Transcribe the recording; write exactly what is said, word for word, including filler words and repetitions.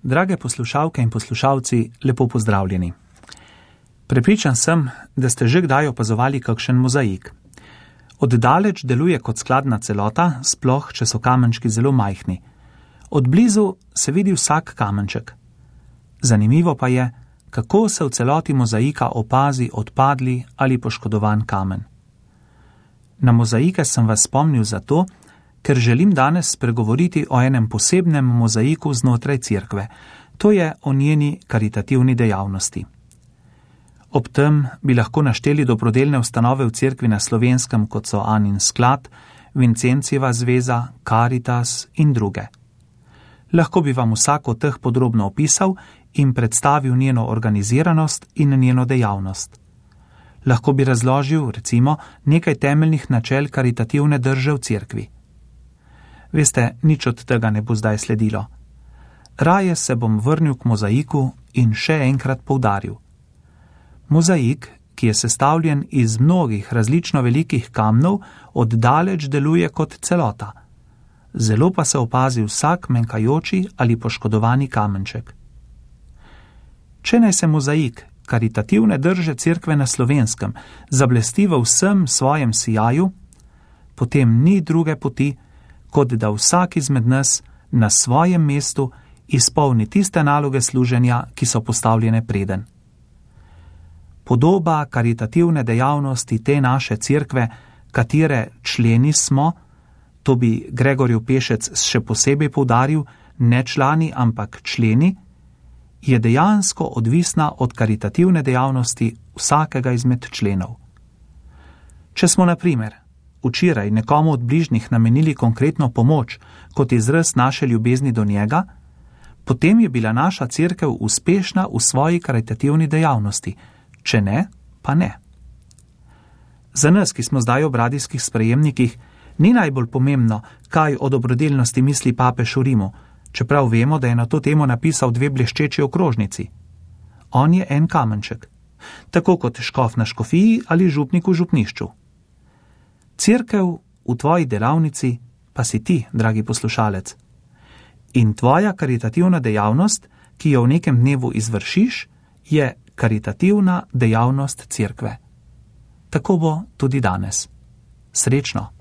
Drage poslušalke in poslušalci, lepo pozdravljeni. Prepričan sem, da ste že kdaj opazovali kakšen mozaik. Oddaleč deluje kot skladna celota, sploh če so kamenčki zelo majhni. Od blizu se vidi vsak kamenček. Zanimivo pa je, kako se v celoti mozaika opazi odpadli ali poškodovan kamen. Na mozaike sem vas spomnil zato, ker želim danes spregovoriti o enem posebnem mozaiku znotraj cerkve, to je o njeni karitativni dejavnosti. Ob tem bi lahko našteli dobrodelne ustanove v cerkvi na Slovenskem, kot so Anin sklad, Vincencijeva zveza, Caritas in druge. Lahko bi vam vsako od teh podrobno opisal in predstavil njeno organiziranost in njeno dejavnost. Lahko bi razložil, recimo, nekaj temeljnih načel karitativne drže v cerkvi. Veste, nič od tega ne bo zdaj sledilo. Raje se bom vrnil k mozaiku in še enkrat poudaril. Mozaik, ki je sestavljen iz mnogih različno velikih kamnov, oddaleč deluje kot celota. Zelo pa se opazi vsak menjkajoči ali poškodovani kamenček. Če naj se mozaik karitativne drže cerkve na Slovenskem zablesti v vsem svojem sijaju, potem ni druge poti, kot da vsak izmed nas na svojem mestu izpolni tiste naloge služenja, ki so postavljene preden. Podoba karitativne dejavnosti te naše cerkve, katere členi smo, to bi Gregorjev Pešec še posebej poudaril, ne člani, ampak členi, je dejansko odvisna od karitativne dejavnosti vsakega izmed členov. Če smo na primer včeraj nekomu od bližnjih namenili konkretno pomoč kot izraz naše ljubezni do njega, potem je bila naša cerkev uspešna v svoji karitativni dejavnosti, če ne, pa ne. Za nas, ki smo zdaj ob radijskih sprejemnikih, ni najbolj pomembno, kaj o dobrodelnosti misli papež v Rimu, čeprav vemo, da je na to temo napisal dve bleščeči okrožnici. On je en kamenček, tako kot škof na škofiji ali župnik v župnišču. Cerkev v tvoji delavnici pa si ti, dragi poslušalec. In tvoja karitativna dejavnost, ki jo v nekem dnevu izvršiš, je karitativna dejavnost cerkve. Tako bo tudi danes. Srečno!